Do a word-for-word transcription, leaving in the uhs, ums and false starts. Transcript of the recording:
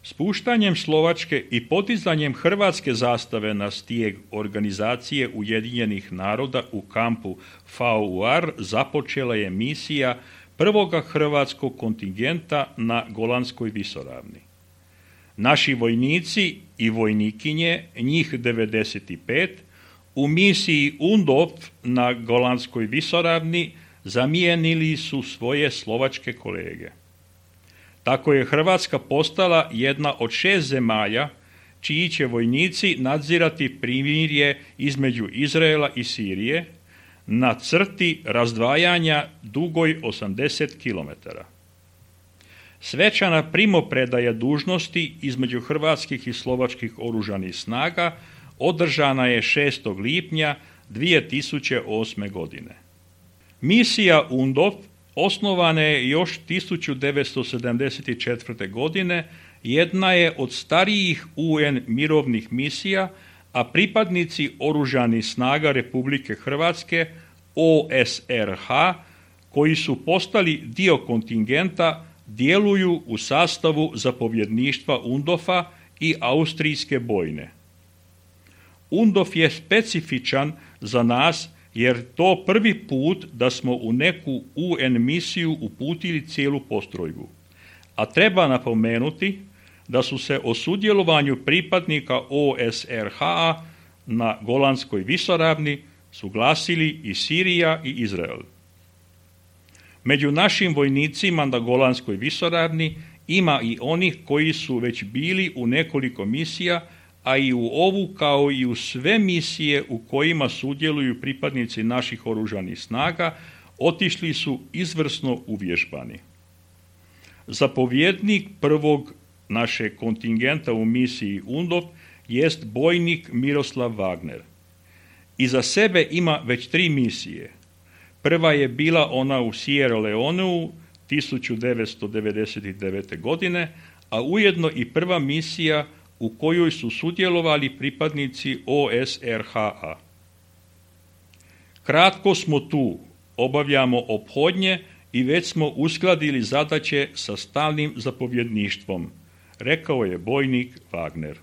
Spuštanjem Slovačke i podizanjem hrvatske zastave na stijeg Organizacije Ujedinjenih naroda u kampu V U R započela je misija prvoga hrvatskog kontingenta na Golanskoj visoravni. Naši vojnici i vojnikinje, njih devedeset pet, u misiji U N D O F na Golanskoj visoravni zamijenili su svoje slovačke kolege. Tako je Hrvatska postala jedna od šest zemalja čiji će vojnici nadzirati primirje između Izraela i Sirije na crti razdvajanja dugoj osamdeset kilometara. Svečana primopredaja dužnosti između hrvatskih i slovačkih oružanih snaga održana je šestog lipnja dvije tisuće osme. godine. Misija U N D O F osnovana je još tisuću devetsto sedamdeset četvrte. godine, jedna je od starijih U N mirovnih misija, a pripadnici oružanih snaga Republike Hrvatske, O S R H, koji su postali dio kontingenta, djeluju u sastavu zapovjedništva U N D O F-a i Austrijske bojne. U N D O F je specifičan za nas jer to prvi put da smo u neku U N misiju uputili cijelu postrojbu. A treba napomenuti da su se o sudjelovanju pripadnika O S R H na Golanskoj visoravni suglasili i Sirija i Izrael. Među našim vojnicima na Golanskoj visoravni ima i onih koji su već bili u nekoliko misija, a i u ovu kao i u sve misije u kojima sudjeluju pripadnici naših oružanih snaga otišli su izvrsno uvježbani. Zapovjednik prvog našeg kontingenta u misiji U N D O F jest bojnik Miroslav Wagner. Iza sebe ima već tri misije. Prva je bila ona u Sierra Leoneu tisuću devetsto devedeset devete. godine, a ujedno i prva misija u kojoj su sudjelovali pripadnici O S R H. Kratko smo tu, obavljamo ophodnje i već smo uskladili zadaće sa stalnim zapovjedništvom, rekao je bojnik Wagner.